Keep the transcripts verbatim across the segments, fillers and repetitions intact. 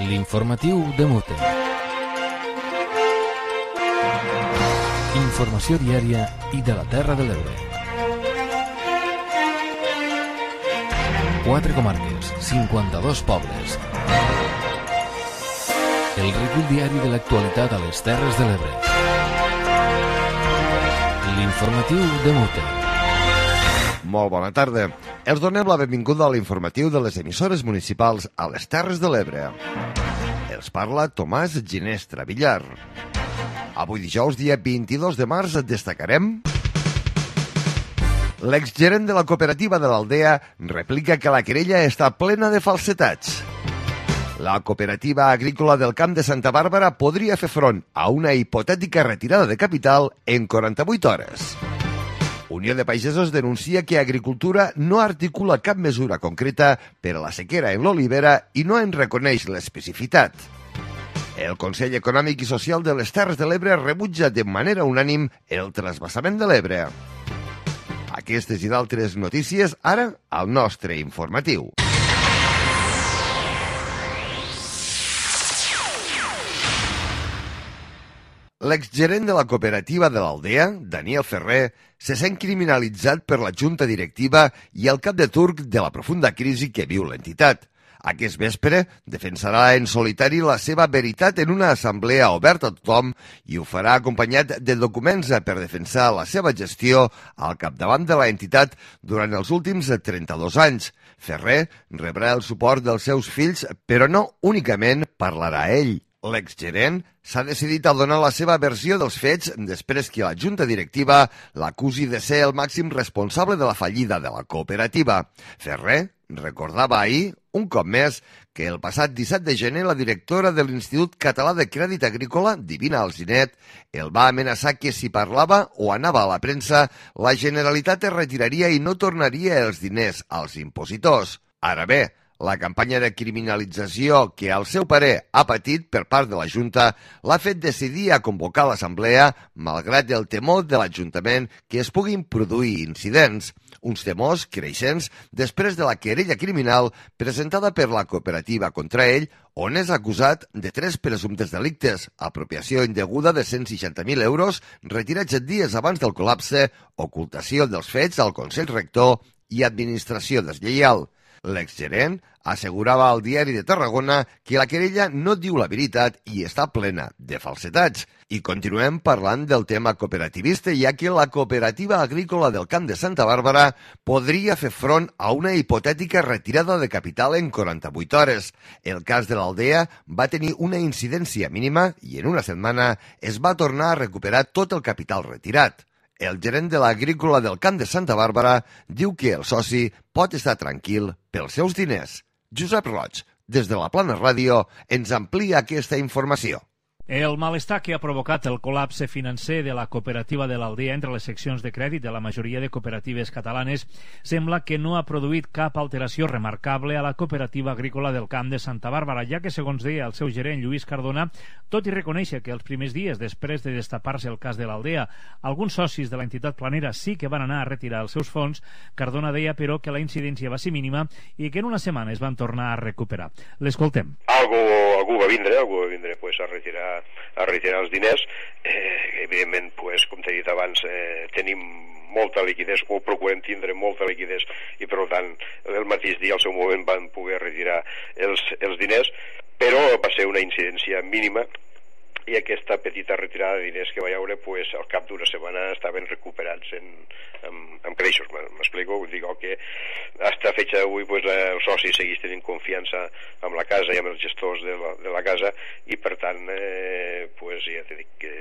L'informatiu de Mute. Informació diària i de la Terra de l'Ebre. Quatre comarques, cinquanta-dos pobles. El recull diari de l'actualitat a les Terres de l'Ebre. L'informatiu de Mute. Molt bona tarda. Els donem la benvinguda a l'informatiu de les emissores municipals a les Terres de l'Ebre. Els parla Tomàs Ginestra Villar. Avui dijous, dia vint-i-dos de març, destacarem... L'exgerent de la cooperativa de l'Aldea replica que la querella està plena de falsetats. La cooperativa agrícola del Camp de Santa Bàrbara podria fer front a una hipotètica retirada de capital en quaranta-vuit hores. Unió de Pagesos denuncia que Agricultura no articula cap mesura concreta per a la sequera en l'olivera i no en reconeix l'especificitat. El Consell Econòmic i Social de les Terres de l'Ebre rebutja de manera unànim el trasbassament de l'Ebre. Aquestes i d'altres notícies ara al nostre informatiu. L'exgerent de la cooperativa de l'Aldea, Daniel Ferrer, se sent criminalitzat per la junta directiva i el cap de turc de la profunda crisi que viu l'entitat. Aquest vespre defensarà en solitari la seva veritat en una assemblea oberta a tothom i ho farà acompanyat de documents per defensar la seva gestió al capdavant de l'entitat durant els últims trenta-dos anys. Ferrer rebrà el suport dels seus fills, però no únicament parlarà ell. L'exgerent s'ha decidit a donar la seva versió dels fets després que la junta directiva l'acusi de ser el màxim responsable de la fallida de la cooperativa. Ferrer recordava ahir, un cop més, que el passat disset de gener la directora de l'Institut Català de Crèdit Agrícola, Divina Alzinet, el va amenaçar que si parlava o anava a la premsa, la Generalitat es retiraria i no tornaria els diners als impositors. Ara bé, la campanya de criminalització que, al seu parer, ha patit per part de la Junta l'ha fet decidir a convocar l'assemblea malgrat el temor de l'Ajuntament que es puguin produir incidents. Uns temors creixents després de la querella criminal presentada per la cooperativa contra ell, on és acusat de tres presumptes delictes: apropiació indeguda de cent seixanta mil euros, retirats dies abans del col·lapse, ocultació dels fets al Consell Rector i administració deslleial. L'exgerent assegurava al Diari de Tarragona que la querella no diu la veritat i està plena de falsetats. I continuem parlant del tema cooperativista, ja que la cooperativa agrícola del Camp de Santa Bàrbara podria fer front a una hipotètica retirada de capital en quaranta-vuit hores. El cas de l'Aldea va tenir una incidència mínima i en una setmana es va tornar a recuperar tot el capital retirat. El gerent de l'agrícola del Camp de Santa Bàrbara diu que el soci pot estar tranquil pels seus diners. Josep Roig, des de la Plana Ràdio, ens amplia aquesta informació. El malestar que ha provocat el col·lapse financer de la cooperativa de l'Aldea entre les seccions de crèdit de la majoria de cooperatives catalanes sembla que no ha produït cap alteració remarcable a la cooperativa agrícola del Camp de Santa Bàrbara, ja que, segons deia el seu gerent Lluís Cardona, tot i reconèixer que els primers dies després de destapar-se el cas de l'Aldea, alguns socis de l'entitat planera sí que van anar a retirar els seus fons, Cardona deia, però, que la incidència va ser mínima i que en una setmana es van tornar a recuperar. L'escoltem. Algú, algú va vindre, algú va vindre pues, a retirar a retirar els diners. Eh, evidentment, pues, com t'he dit abans, eh, tenim molta liquidez, o procurem tindre molta liquidez, i per tant el mateix dia al seu moment van poder retirar els, els diners, però va ser una incidència mínima i aquesta petita retirada de diners que va haure, pues, al cap d'una setmana estaven recuperats en, en, en creixos. M'explico? Dic que fins a fecha d'avui pues, el soci segueix tenint confiança amb la casa i amb els gestors de la, de la casa i per tant eh, pues, ja t'he dit que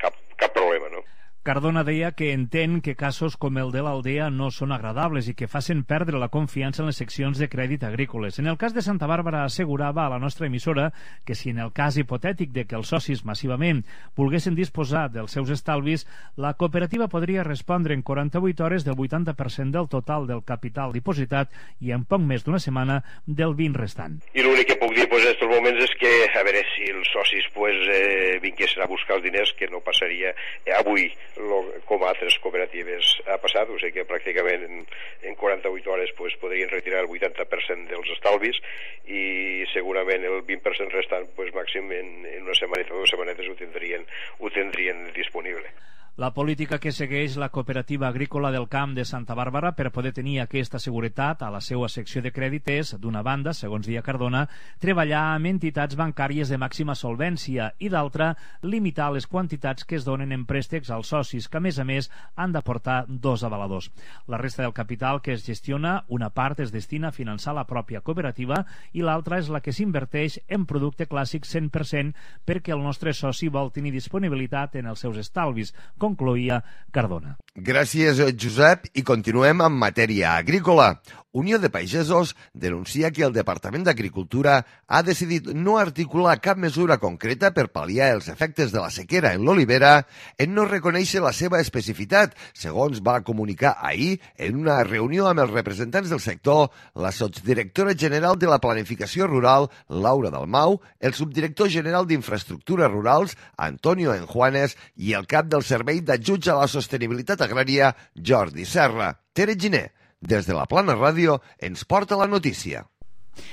cap, cap problema, no? Cardona deia que entén que casos com el de l'Aldea no són agradables i que facin perdre la confiança en les seccions de crèdit agrícoles. En el cas de Santa Bàrbara assegurava a la nostra emissora que si en el cas hipotètic de que els socis massivament volguessin disposar dels seus estalvis, la cooperativa podria respondre en quaranta-vuit hores del vuitanta per cent del total del capital dipositat i en poc més d'una setmana del vint restant. I l'únic que puc dir pues, en aquests moments és que a veure si els socis pues, eh, vinguessin a buscar els diners, que no passaria eh, avui lo, com altres cooperatives ha passat, o sigui que pràcticament en, en quaranta-vuit hores pues, podrien retirar el vuitanta per cent dels estalvis i segurament el vint per cent restant pues, màxim en, en una setmaneta o dues setmanetes ho tindrien, ho tindrien disponible. La política que segueix la Cooperativa Agrícola del Camp de Santa Bàrbara per poder tenir aquesta seguretat a la seva secció de crèdit és, d'una banda, segons dia Cardona, treballar amb entitats bancàries de màxima solvència i, d'altra, limitar les quantitats que es donen en préstecs als socis, que, a més a més, han d'aportar dos avaladors. La resta del capital que es gestiona, una part es destina a finançar la pròpia cooperativa i l'altra és la que s'inverteix en producte clàssic cent per cent perquè el nostre soci vol tenir disponibilitat en els seus estalvis, concloïa Cardona. Gràcies, Josep, i continuem amb matèria agrícola. Unió de Pagesos denuncia que el Departament d'Agricultura ha decidit no articular cap mesura concreta per pal·liar els efectes de la sequera en l'olivera en no reconèixer la seva especificitat, segons va comunicar ahir en una reunió amb els representants del sector la sotsdirectora general de la Planificació Rural, Laura Dalmau, el subdirector general d'Infraestructures Rurals, Antonio Enjuanes, i el cap del Servei d'Ajuts a la Sostenibilitat Agrària, Jordi Serra. Tere Giner, des de la Plana Ràdio, ens porta la notícia.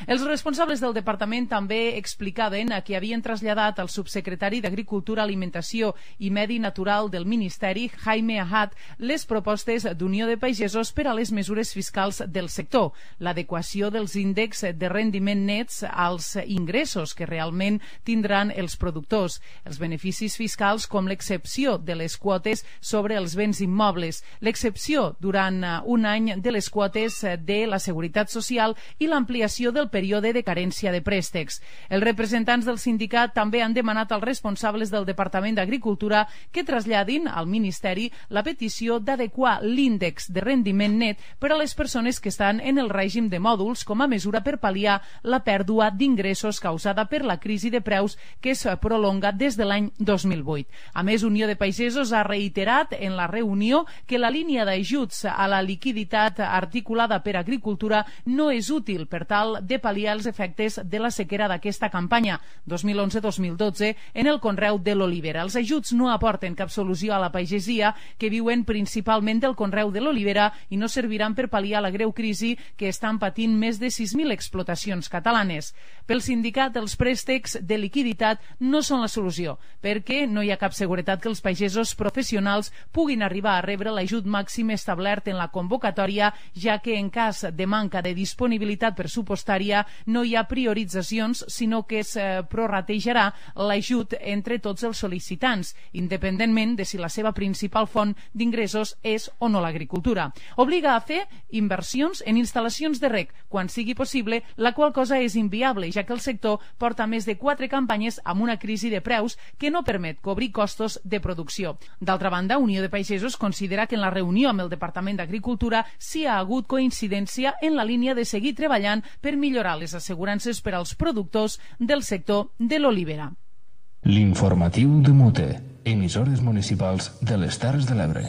Els responsables del departament també explicaven que havien traslladat al subsecretari d'Agricultura, Alimentació i Medi Natural del Ministeri, Jaime Ahat, les propostes d'Unió de Pagesos per a les mesures fiscals del sector, l'adequació dels índexs de rendiment nets als ingressos que realment tindran els productors, els beneficis fiscals com l'excepció de les quotes sobre els béns immobles, l'excepció durant un any de les quotes de la Seguretat Social i l'ampliació del període de carència de préstecs. Els representants del sindicat també han demanat als responsables del Departament d'Agricultura que traslladin al Ministeri la petició d'adequar l'índex de rendiment net per a les persones que estan en el règim de mòduls com a mesura per pal·liar la pèrdua d'ingressos causada per la crisi de preus que es prolonga des de l'any dos mil vuit. A més, Unió de Pagesos ha reiterat en la reunió que la línia d'ajuts a la liquiditat articulada per Agricultura no és útil per tal de pal·liar els efectes de la sequera d'aquesta campanya dos mil onze dos mil dotze en el conreu de l'olivera. Els ajuts no aporten cap solució a la pagesia que viuen principalment del conreu de l'olivera i no serviran per pal·liar la greu crisi que estan patint més de sis mil explotacions catalanes. Pel sindicat, els préstecs de liquiditat no són la solució, perquè no hi ha cap seguretat que els pagesos professionals puguin arribar a rebre l'ajut màxim establert en la convocatòria, ja que en cas de manca de disponibilitat pressupostària no hi ha prioritzacions, sinó que es eh, prorratejarà l'ajut entre tots els sol·licitants, independentment de si la seva principal font d'ingressos és o no l'agricultura. Obliga a fer inversions en instal·lacions de reg quan sigui possible, la qual cosa és inviable, ja que el sector porta més de quatre campanyes amb una crisi de preus que no permet cobrir costos de producció. D'altra banda, Unió de Pagesos considera que en la reunió amb el Departament d'Agricultura s'hi ha hagut coincidència en la línia de seguir treballant per millorar les assegurances per als productors del sector de l'olivera. L'informatiu de Mute, emissores municipals de les Terres de l'Ebre.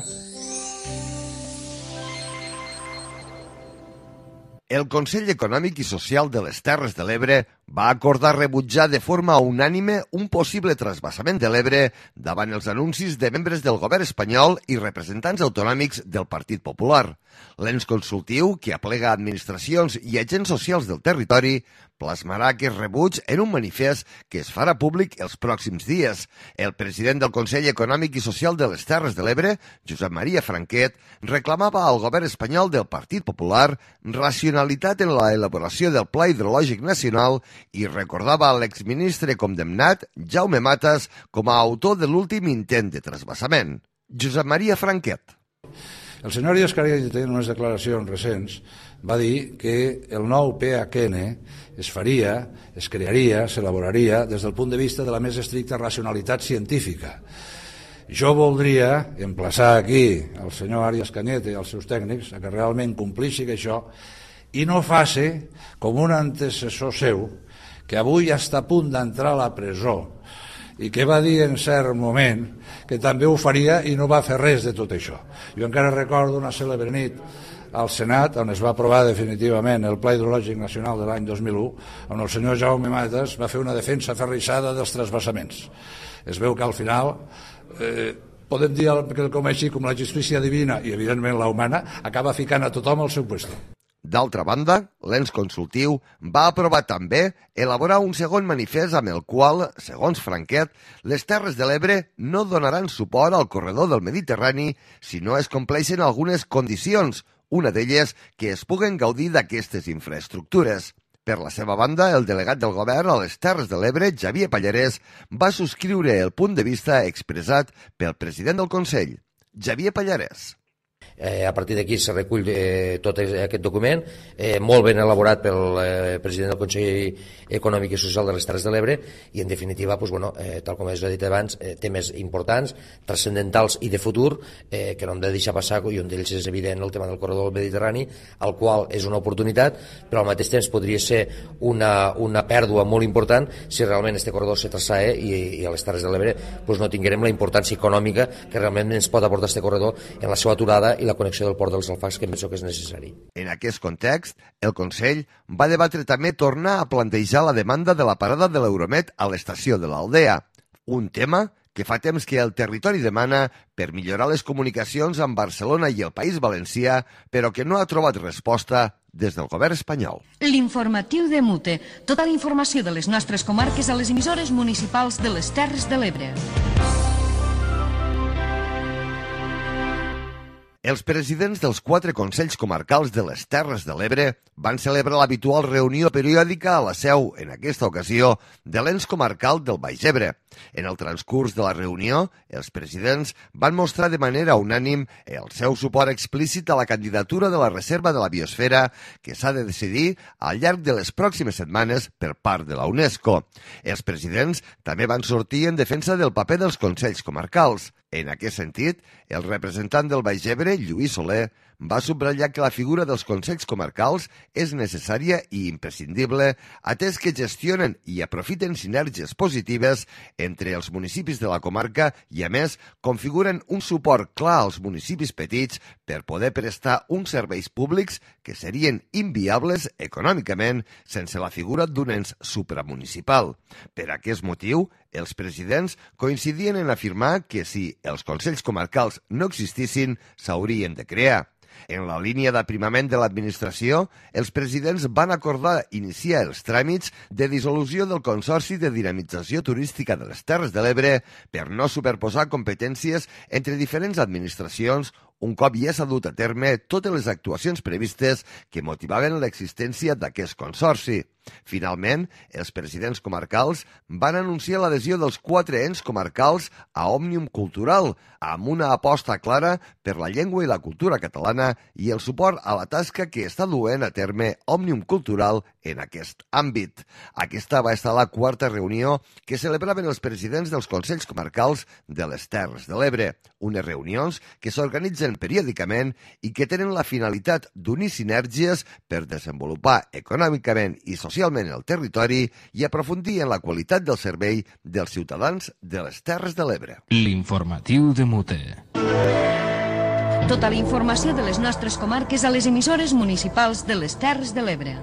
El Consell Econòmic i Social de les Terres de l'Ebre va acordar rebutjar de forma unànime un possible trasbassament de l'Ebre davant els anuncis de membres del govern espanyol i representants autonòmics del Partit Popular. L'ens consultiu, que aplega administracions i agents socials del territori, plasmarà aquest rebuig en un manifest que es farà públic els pròxims dies. El president del Consell Econòmic i Social de les Terres de l'Ebre, Josep Maria Franquet, reclamava al govern espanyol del Partit Popular racionalitat en la elaboració del Pla Hidrològic Nacional i recordava a l'exministre condemnat, Jaume Matas, com a autor de l'últim intent de trasbassament. Josep Maria Franquet. El senyor Díaz Canete, en unes declaracions recents, va dir que el nou P H N es faria, es crearia, s'elaboraria des del punt de vista de la més estricta racionalitat científica. Jo voldria emplaçar aquí al senyor Arias Cañete i als seus tècnics a que realment complixi això i no faci com un antecessor seu que avui està a punt d'entrar a la presó i que va dir en cert moment que també ho faria i no va fer res de tot això. Jo encara recordo una cèlebre nit al Senat, on es va aprovar definitivament el Pla Hidrològic Nacional de l'any dos mil u, on el senyor Jaume Matas va fer una defensa aferrissada dels trasbassaments. Es veu que al final eh, podem dir quelcom així com la justícia divina i, evidentment, la humana, acaba ficant a tothom al seu puesto. D'altra banda, l'ens consultiu va aprovar també elaborar un segon manifest amb el qual, segons Franquet, les Terres de l'Ebre no donaran suport al corredor del Mediterrani si no es compleixen algunes condicions, una d'elles que es puguen gaudir d'aquestes infraestructures. Per la seva banda, el delegat del govern a les Terres de l'Ebre, Xavier Pallarès, va subscriure el punt de vista expressat pel president del Consell, Xavier Pallarès. Eh, a partir d'aquí se recull eh, tot aquest document, eh, molt ben elaborat pel eh, president del Consell Econòmic i Social de les Terres de l'Ebre i, en definitiva, pues, bueno, eh, tal com he dit abans, eh, temes importants, transcendentals i de futur, eh, que no hem de deixar passar, i un d'ells és evident el tema del corredor del Mediterrani, el qual és una oportunitat, però al mateix temps podria ser una, una pèrdua molt important si realment este corredor se traçava i, i a les Terres de l'Ebre pues, no tinguérem la importància econòmica que realment ens pot aportar este corredor en la seva aturada i la connexió del port dels Alfacs, que penso que és necessari. En aquest context, el Consell va debatre també tornar a plantejar la demanda de la parada de l'Euromed a l'estació de l'Aldea, un tema que fa temps que el territori demana per millorar les comunicacions amb Barcelona i el País Valencià, però que no ha trobat resposta des del govern espanyol. L'informatiu de Mute. Tota la informació de les nostres comarques a les emissores municipals de les Terres de l'Ebre. Els presidents dels quatre consells comarcals de les Terres de l'Ebre van celebrar l'habitual reunió periòdica a la seu, en aquesta ocasió, de l'ens comarcal del Baix Ebre. En el transcurs de la reunió, els presidents van mostrar de manera unànim el seu suport explícit a la candidatura de la Reserva de la Biosfera que s'ha de decidir al llarg de les pròximes setmanes per part de la UNESCO. Els presidents també van sortir en defensa del paper dels consells comarcals. En aquest sentit, el representant del Baix Ebre, Lluís Soler, va subratllar que la figura dels consells comarcals és necessària i imprescindible, atès que gestionen i aprofiten sinergies positives entre els municipis de la comarca i, a més, configuren un suport clar als municipis petits per poder prestar uns serveis públics que serien inviables econòmicament sense la figura d'un ens supramunicipal. Per aquest motiu, els presidents coincidien en afirmar que si els consells comarcals no existissin, s'haurien de crear. En la línia d'aprimament de l'administració, els presidents van acordar iniciar els tràmits de dissolució del Consorci de Dinamització Turística de les Terres de l'Ebre per no superposar competències entre diferents administracions un cop ja s'ha dut a terme totes les actuacions previstes que motivaven l'existència d'aquest consorci. Finalment, els presidents comarcals van anunciar l'adhesió dels quatre ens comarcals a Òmnium Cultural, amb una aposta clara per la llengua i la cultura catalana i el suport a la tasca que està duent a terme Òmnium Cultural en aquest àmbit. Aquesta va estar la quarta reunió que celebraven els presidents dels consells comarcals de les Terres de l'Ebre, unes reunions que s'organitzen periòdicament i que tenen la finalitat d'unir sinergies per desenvolupar econòmicament i socialment el territori i aprofundir en la qualitat del servei dels ciutadans de les Terres de l'Ebre. L'informatiu de Mute. Tota la informació de les nostres comarques a les emissores municipals de les Terres de l'Ebre.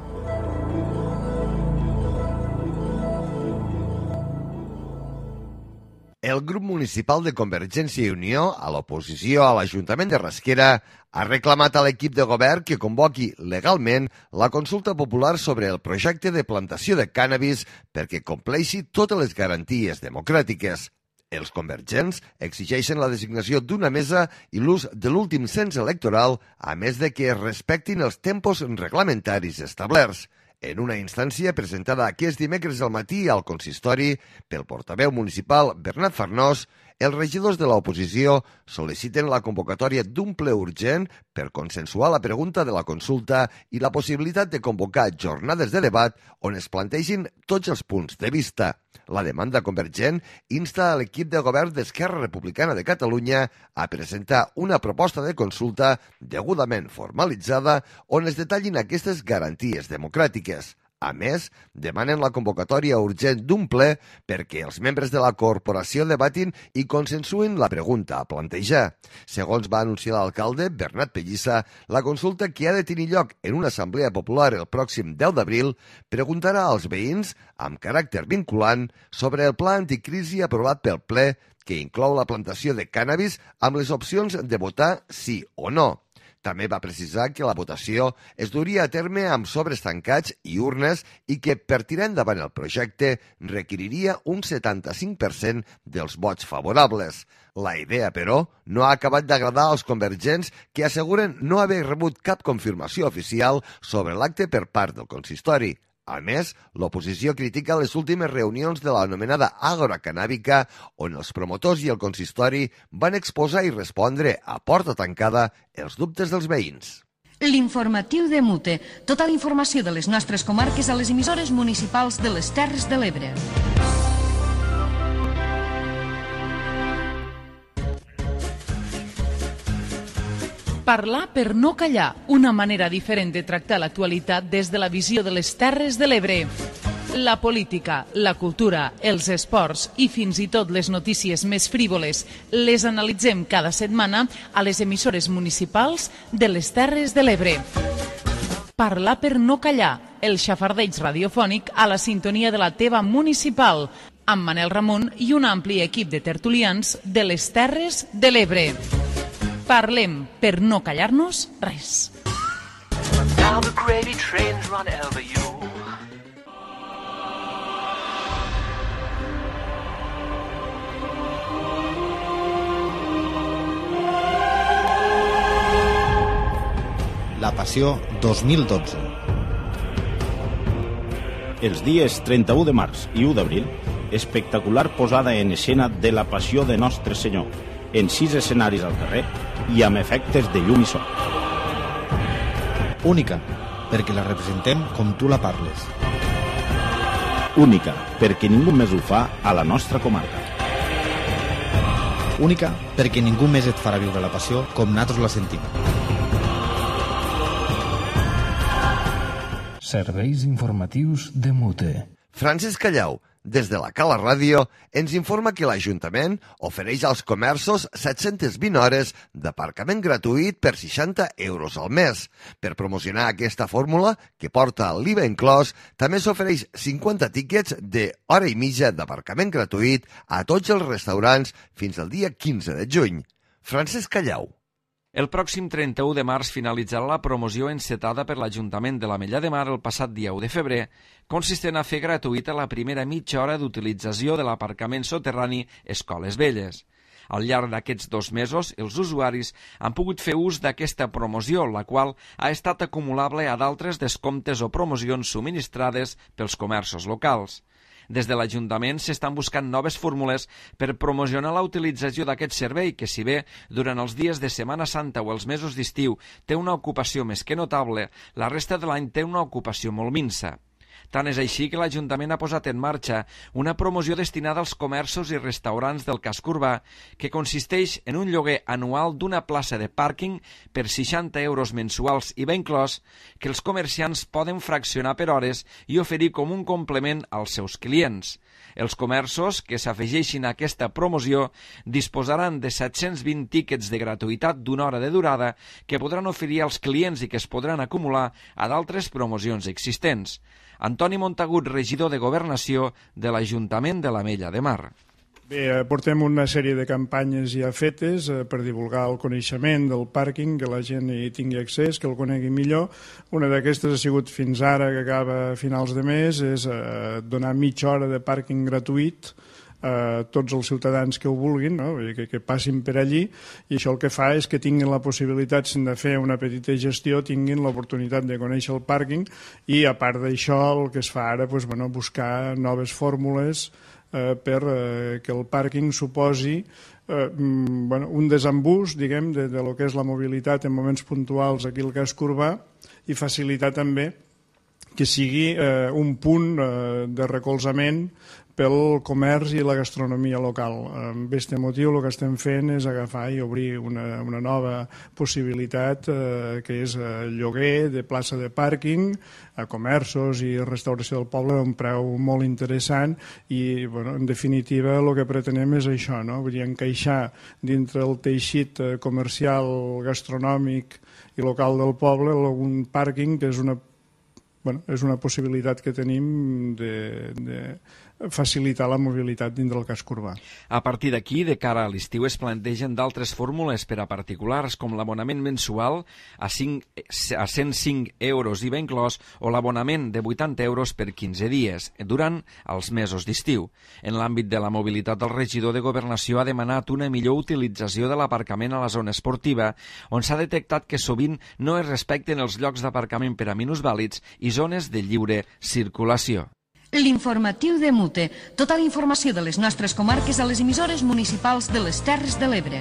El grup municipal de Convergència i Unió, a l'oposició a l'Ajuntament de Rasquera, ha reclamat a l'equip de govern que convoqui legalment la consulta popular sobre el projecte de plantació de cànnabis perquè compleixi totes les garanties democràtiques. Els convergents exigeixen la designació d'una mesa i l'ús de l'últim cens electoral, a més de que es respectin els tempos reglamentaris establerts. En una instància presentada aquest dimecres al matí al consistori pel portaveu municipal Bernat Farnós, els regidors de l'oposició sol·liciten la convocatòria d'un ple urgent per consensuar la pregunta de la consulta i la possibilitat de convocar jornades de debat on es plantegin tots els punts de vista. La demanda convergent insta a l'equip de govern d'Esquerra Republicana de Catalunya a presentar una proposta de consulta degudament formalitzada on es detallin aquestes garanties democràtiques. A més, demanen la convocatòria urgent d'un ple perquè els membres de la corporació debatin i consensuïn la pregunta a plantejar. Segons va anunciar l'alcalde, Bernat Pellissa, la consulta que ha de tenir lloc en una assemblea popular el pròxim deu d'abril preguntarà als veïns, amb caràcter vinculant, sobre el pla anticrisi aprovat pel ple que inclou la plantació de cànnabis amb les opcions de votar sí o no. També va precisar que la votació es duria a terme amb sobres tancats i urnes i que per tirar endavant el projecte requeriria un setanta-cinc per cent dels vots favorables. La idea, però, no ha acabat d'agradar als convergents que asseguren no haver rebut cap confirmació oficial sobre l'acte per part del consistori. A més, l'oposició critica les últimes reunions de l'anomenada Àgora Cannàbica, on els promotors i el consistori van exposar i respondre a porta tancada els dubtes dels veïns. L'informatiu de Mute. Tota la informació de les nostres comarques a les emissores municipals de les Terres de l'Ebre. Parlar per no callar, una manera diferent de tractar l'actualitat des de la visió de les Terres de l'Ebre. La política, la cultura, els esports i fins i tot les notícies més frívoles les analitzem cada setmana a les emissores municipals de les Terres de l'Ebre. Parlar per no callar, el xafardeig radiofònic a la sintonia de la teva municipal, amb Manel Ramon i un ampli equip de tertulians de les Terres de l'Ebre. Parlem per no callar-nos res. La Passió dos mil dotze. Els dies trenta-u de març i u d'abril, espectacular posada en escena de la Passió de Nostre Senyor, en sis escenaris al carrer i amb efectes de llum i so. Única, perquè la representem com tu la parles. Única, perquè ningú més ho fa a la nostra comarca. Única, perquè ningú més et farà viure la passió com nosaltres la sentim. Serveis informatius de Mute. Francesc Callau, des de la Cala Ràdio, ens informa que l'Ajuntament ofereix als comerços set-centes vint hores d'aparcament gratuït per seixanta euros al mes. Per promocionar aquesta fórmula, que porta l'I V A inclòs, també s'ofereix cinquanta tíquets de hora i mitja d'aparcament gratuït a tots els restaurants fins al dia quinze de juny. Francesc Callau. El pròxim trenta-u de març finalitzarà la promoció encetada per l'Ajuntament de l'Ametlla de Mar el passat dia u de febrer, consistent a fer gratuïta la primera mitja hora d'utilització de l'aparcament soterrani Escoles Velles. Al llarg d'aquests dos mesos, els usuaris han pogut fer ús d'aquesta promoció, la qual ha estat acumulable a d'altres descomptes o promocions subministrades pels comerços locals. Des de l'Ajuntament s'estan buscant noves fórmules per promocionar la utilització d'aquest servei que, si bé durant els dies de Setmana Santa o els mesos d'estiu té una ocupació més que notable, la resta de l'any té una ocupació molt minsa. Tant és així que l'Ajuntament ha posat en marxa una promoció destinada als comerços i restaurants del casc urbà que consisteix en un lloguer anual d'una plaça de pàrquing per seixanta euros mensuals i ben inclòs que els comerciants poden fraccionar per hores i oferir com un complement als seus clients. Els comerços que s'afegeixin a aquesta promoció disposaran de set-cents vint tíquets de gratuïtat d'una hora de durada que podran oferir als clients i que es podran acumular a d'altres promocions existents. Antoni Montagut, regidor de Governació de l'Ajuntament de l'Ametlla de Mar. Bé, portem una sèrie de campanyes ja fetes per divulgar el coneixement del pàrquing, que la gent hi tingui accés, que el conegui millor. Una d'aquestes ha sigut fins ara, que acaba a finals de mes, és donar mitja hora de pàrquing gratuït a tots els ciutadans que ho vulguin, no? que, que passin per allí, i això el que fa és que tinguin la possibilitat de fer una petita gestió, tinguin l'oportunitat de conèixer el pàrquing, i a part d'això el que es fa ara, doncs, bueno, buscar noves fórmules eh, per eh, que el pàrquing suposi eh, bueno, un desembús, diguem, de, de lo que és la mobilitat en moments puntuals aquí al casc urbà, i facilitar també que sigui eh, un punt eh, de recolzament pel comerç i la gastronomia local. Amb aquest motiu el que estem fent és agafar i obrir una, una nova possibilitat eh, que és el lloguer de plaça de pàrquing a comerços i restauració del poble a un preu molt interessant i, bueno, en definitiva, el que pretenem és això, no? Vull dir, encaixar dintre el teixit comercial, gastronòmic i local del poble algun pàrquing que és una, bueno, és una possibilitat que tenim de, de facilitar la mobilitat dins del casc urbà. A partir d'aquí, de cara a l'estiu, es plantegen d'altres fórmules per a particulars, com l'abonament mensual a, cinc, a cent cinc euros I V A inclòs o l'abonament de vuitanta euros per quinze dies, durant els mesos d'estiu. En l'àmbit de la mobilitat, el regidor de Governació ha demanat una millor utilització de l'aparcament a la zona esportiva, on s'ha detectat que sovint no es respecten els llocs d'aparcament per a minusvàlids i zones de lliure circulació. L'informatiu de Mute. Tota la informació de les nostres comarques a les emissores municipals de les Terres de l'Ebre.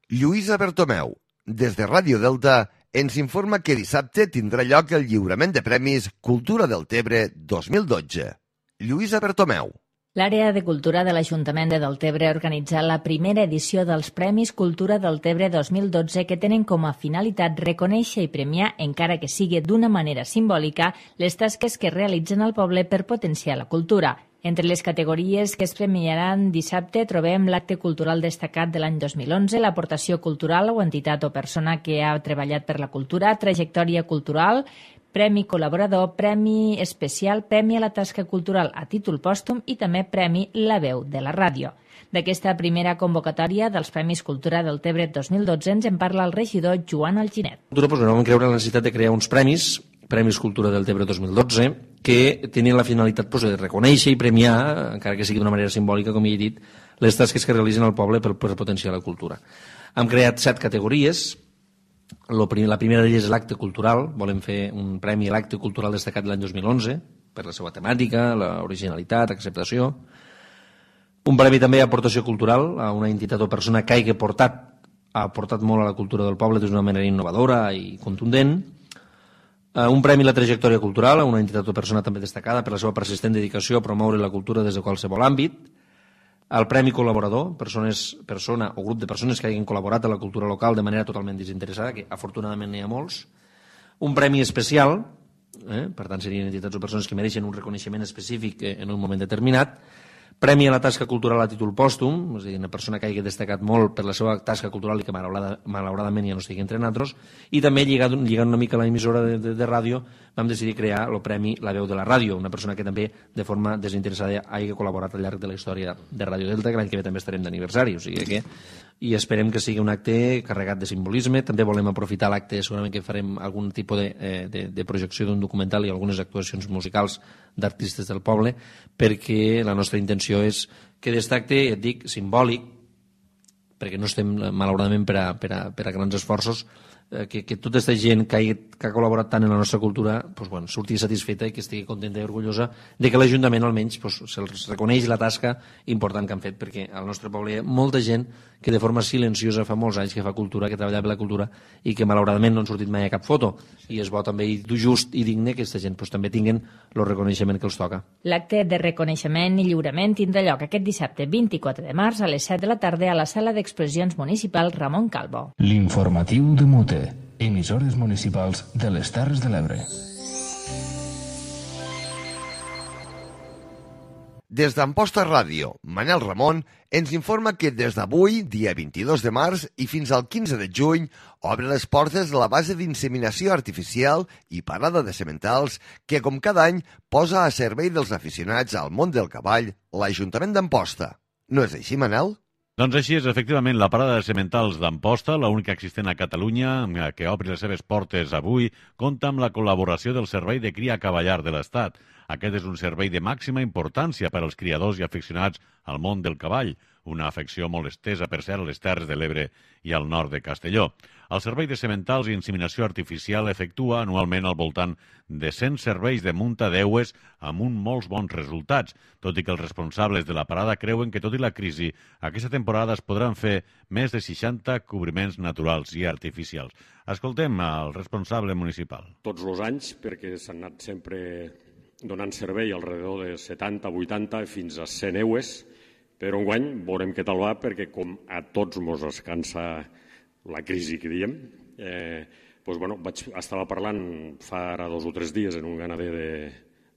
Lluïsa Bertomeu, des de Ràdio Delta, ens informa que dissabte tindrà lloc el lliurament de premis Cultura del Tebre dos mil dotze. Lluïsa Bertomeu. L'àrea de cultura de l'Ajuntament de Deltebre ha organitzat la primera edició dels Premis Cultura Deltebre dos mil dotze que tenen com a finalitat reconèixer i premiar, encara que sigui d'una manera simbòlica, les tasques que realitzen al poble per potenciar la cultura. Entre les categories que es premiaran dissabte trobem l'acte cultural destacat de l'any dos mil onze, l'aportació cultural o entitat o persona que ha treballat per la cultura, trajectòria cultural, Premi col·laborador, Premi especial, Premi a la tasca cultural a títol pòstum i també Premi La veu de la ràdio. D'aquesta primera convocatòria dels Premis Cultura del Tebre dos mil dotze ens en parla el regidor Joan Alginet. Cultura, doncs, vam creure la necessitat de crear uns premis, Premis Cultura del Tebre dos mil dotze, que tenien la finalitat doncs, de reconèixer i premiar, encara que sigui d'una manera simbòlica, com he dit, les tasques que realitzen al poble per, per potenciar la cultura. Hem creat set categories. La primera d'elles és l'acte cultural. Volem fer un premi a l'acte cultural destacat l'any dos mil onze per la seva temàtica, l'originalitat, acceptació. Un premi també a aportació cultural a una entitat o persona que hagi portat, ha aportat molt a la cultura del poble d'una manera innovadora i contundent. Un premi a la trajectòria cultural a una entitat o persona també destacada per la seva persistent dedicació a promoure la cultura des de qualsevol àmbit. El Premi Col·laborador, persones, persona o grup de persones que hagin col·laborat a la cultura local de manera totalment desinteressada, que afortunadament n'hi ha molts. Un Premi Especial, eh? per tant serien entitats o persones que mereixen un reconeixement específic en un moment determinat. Premi a la tasca cultural a títol pòstum, és a dir, una persona que hagi destacat molt per la seva tasca cultural i que malauradament ja no estigui entre nosaltres. I també, lligant, lligant una mica a l'emissora de, de, de ràdio, vam decidir crear el Premi La veu de la ràdio, una persona que també de forma desinteressada hagi col·laborat al llarg de la història de Ràdio Delta, que l'any que ve també estarem d'aniversari, o sigui que i esperem que sigui un acte carregat de simbolisme. També volem aprofitar l'acte, segurament que farem algun tipus de, de, de projecció d'un documental i algunes actuacions musicals d'artistes del poble, perquè la nostra intenció és que d'aquest acte, et dic, simbòlic, perquè no estem malauradament per a, per a, per a grans esforços, que, que tota aquesta gent que ha, que ha col·laborat tant en la nostra cultura pues, bueno, surti satisfeta i que estigui contenta i orgullosa de que l'Ajuntament almenys pues, se'ls reconeix la tasca important que han fet, perquè al nostre poble hi ha molta gent que de forma silenciosa fa molts anys que fa cultura, que treballa per la cultura i que malauradament no han sortit mai a cap foto, i és bo també i just i digne que aquesta gent pues, també tinguen el reconeixement que els toca. L'acte de reconeixement i lliurament tindrà lloc aquest dissabte vint-i-quatre de març a les set de la tarda a la sala d'exposicions municipal Ramon Calvo. L'informatiu de Mute, emissores municipals de les Terres de l'Ebre. Des d'Amposta Ràdio, Manel Ramon ens informa que des d'avui, dia vint-i-dos de març, i fins al quinze de juny, obre les portes de la base d'inseminació artificial i parada de sementals que, com cada any, posa a servei dels aficionats al món del cavall l'Ajuntament d'Amposta. No és així, Manel? Doncs així és, efectivament, la parada de sementals d'Amposta, l'única existent a Catalunya, que obri les seves portes avui, compta amb la col·laboració del Servei de Cria Cavallar de l'Estat. Aquest és un servei de màxima importància per als criadors i aficionats al món del cavall, una afecció molt estesa, per cert, a les Terres de l'Ebre i al nord de Castelló. El Servei de Sementals i Inseminació Artificial efectua anualment al voltant de cent serveis de munta d'eues amb un molts bons resultats, tot i que els responsables de la parada creuen que, tot i la crisi, aquesta temporada es podran fer més de seixanta cobriments naturals i artificials. Escoltem al responsable municipal. Tots els anys, perquè s'han anat sempre donant servei alrededor de setanta, vuitanta, fins a cent eues, però enguany veurem què tal va, perquè com a tots mos escansa la crisi que diem, eh, doncs, bueno, vaig, estava parlant fa ara dos o tres dies en un ganader de,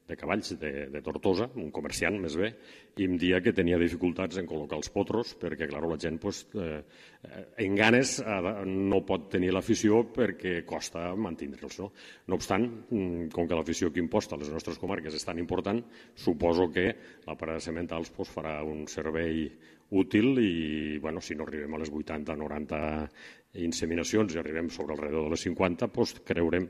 de cavalls de, de Tortosa, un comerciant més bé, i em dia que tenia dificultats en col·locar els potros perquè, clar, la gent pues, eh, en ganes no pot tenir l'afició perquè costa mantindre'ls. No? no obstant, com que l'afició que imposta a les nostres comarques és tan important, suposo que la parada de sementals pues, farà un servei útil i, bueno, si no arribem a les vuitanta, noranta inseminacions i arribem sobre alrededor de les cinquanta, doncs creurem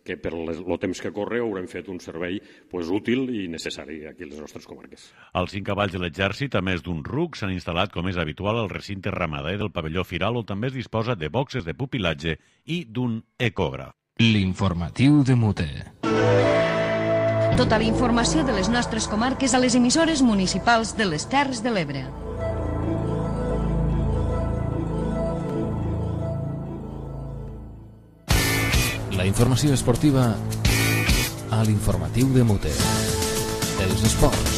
que per el temps que corre haurem fet un servei pues, útil i necessari aquí a les nostres comarques. Els cinc cavalls de l'exèrcit, a més d'un ruc, s'han instal·lat, com és habitual, al recinte ramader del pavelló Firal, on també es disposa de boxes de pupilatge i d'un ecògraf. L'informatiu de Mute. Tota la informació de les nostres comarques a les emissores municipals de les Terres de l'Ebre. La informació esportiva a l'informatiu de Mute. Els esports.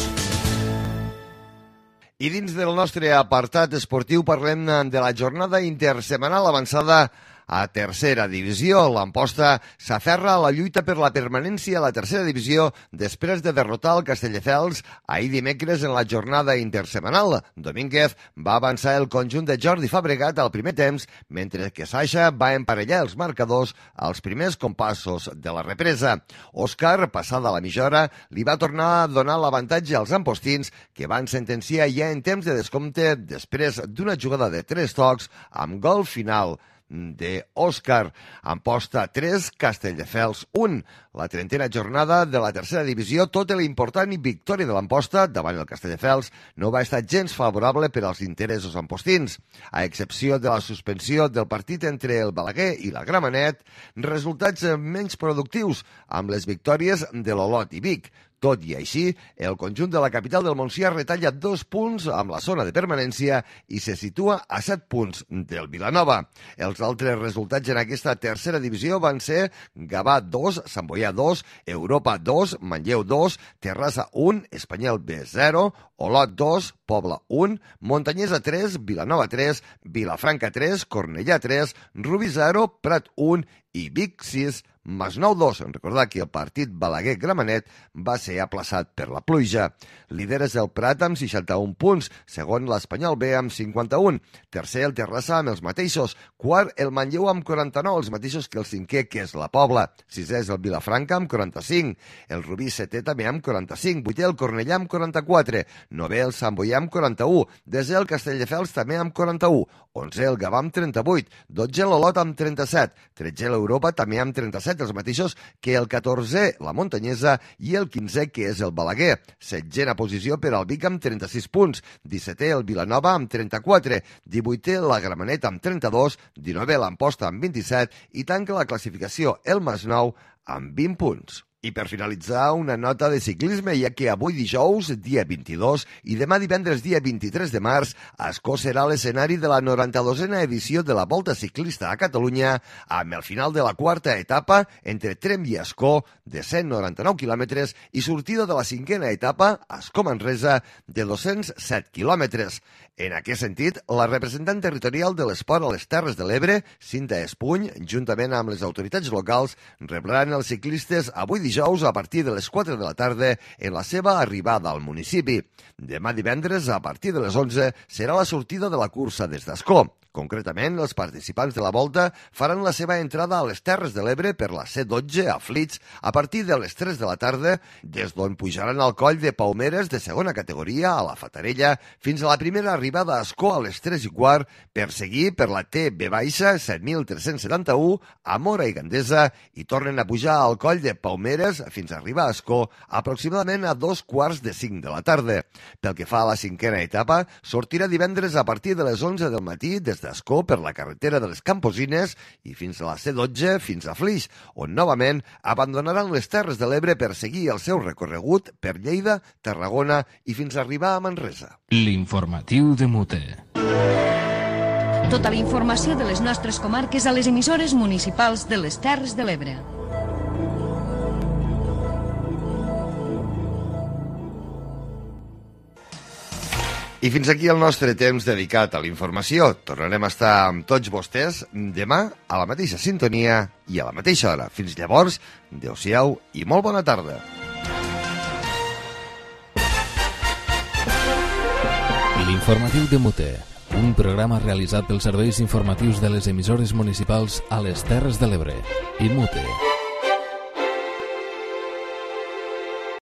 I dins del nostre apartat esportiu parlem de la jornada intersemanal avançada a tercera divisió. L'Amposta s'aferra a la lluita per la permanència a la tercera divisió després de derrotar el Castelldefels ahir dimecres en la jornada intersemanal. Domínguez va avançar el conjunt de Jordi Fabregat al primer temps, mentre que Saixa va emparellar els marcadors als primers compassos de la represa. Òscar, passada la mitja hora, li va tornar a donar l'avantatge als ampostins, que van sentenciar ja en temps de descompte després d'una jugada de tres tocs amb gol final de Òscar. Amposta tres, Castelldefels un. La trentena jornada de la tercera divisió, tot i la important victòria de l'Amposta davant el Castelldefels, no va estar gens favorable per als interessos ampostins. A excepció de la suspensió del partit entre el Balaguer i la Gramenet, resultats menys productius amb les victòries de l'Olot i Vic. Tot i així, el conjunt de la capital del Montsià retalla dos punts amb la zona de permanència i se situa a set punts del Vilanova. Els altres resultats en aquesta tercera divisió van ser Gavà dos, Sant Boià dos, Europa dos, Manlleu dos, Terrassa un, Espanyol B zero, Olot dos, Pobla un, Montanyesa tres, Vilanova tres, Vilafranca tres, Cornellà tres, Rubí zero, Prat un i Vic sis, Masnou dos. Recordar que el partit Balaguer-Gramenet va ser aplaçat per la pluja. Líder és el Prat amb seixanta-un punts, segon l'Espanyol B amb cinquanta-un, tercer el Terrassa amb els mateixos, quart el Manlleu amb quaranta-nou, els mateixos que el cinquè, que és la Pobla, sisè és el Vilafranca amb quaranta-cinc, el Rubí setè també amb quaranta-cinc, vuitè el Cornellà amb quaranta-quatre, novè el Sant Boià amb quaranta-u, desè el Castelldefels també amb quaranta-u, onzè el Gavà amb trenta-vuit, dotze l'Olot amb trenta-set, tretzè l'Europa també amb trenta-set, els mateixos que el catorzè la Montanyesa i el quinzè que és el Balaguer, setzena posició per al Vic amb trenta-sis punts, dissetè el Vilanova amb trenta-quatre, divuitè la Gramenet amb trenta-dos, dinovè l'Amposta amb vint-i-set i tanca la classificació el Masnou amb vint punts. I per finalitzar, una nota de ciclisme, ja que avui dijous, dia vint-i-dos, i demà divendres, dia vint-i-tres de març, Ascó serà l'escenari de la noranta-dosena edició de la Volta Ciclista a Catalunya, amb el final de la quarta etapa entre Tremp i Ascó, de cent noranta-nou quilòmetres, i sortida de la cinquena etapa, Ascó-Manresa, de dos-cents set quilòmetres. En aquest sentit, la representant territorial de l'esport a les Terres de l'Ebre, Cinta Espuny, juntament amb les autoritats locals, rebran els ciclistes avui dijous a partir de les quatre de la tarda en la seva arribada al municipi. Demà divendres, a partir de les onze, serà la sortida de la cursa des d'Ascó. Concretament, els participants de la volta faran la seva entrada a les Terres de l'Ebre per la C dotze a Flix a partir de les tres de la tarda, des d'on pujaran al coll de Paumeres de segona categoria a la Fatarella fins a la primera arribada a Ascó a les tres i quart, per seguir per la T B baixa set mil tres-cents setanta-u a Mora i Gandesa i tornen a pujar al coll de Paumeres Figueres fins a arribar a Ascó aproximadament a dos quarts de cinc de la tarda. Pel que fa a la cinquena etapa, sortirà divendres a partir de les onze del matí des d'Ascó per la carretera de les Camposines i fins a la C dotze fins a Flix, on novament abandonaran les Terres de l'Ebre per seguir el seu recorregut per Lleida, Tarragona i fins a arribar a Manresa. L'informatiu de Mute. Tota la informació de les nostres comarques a les emissores municipals de les Terres de l'Ebre. I fins aquí el nostre temps dedicat a la informació. Tornarem a estar amb tots vostès demà a la mateixa sintonia i a la mateixa hora. Fins llavors, adéu-siau i molt bona tarda. L'informatiu de Mute, un programa realitzat pels serveis informatius de les emissores municipals a les Terres de l'Ebre. I Mute.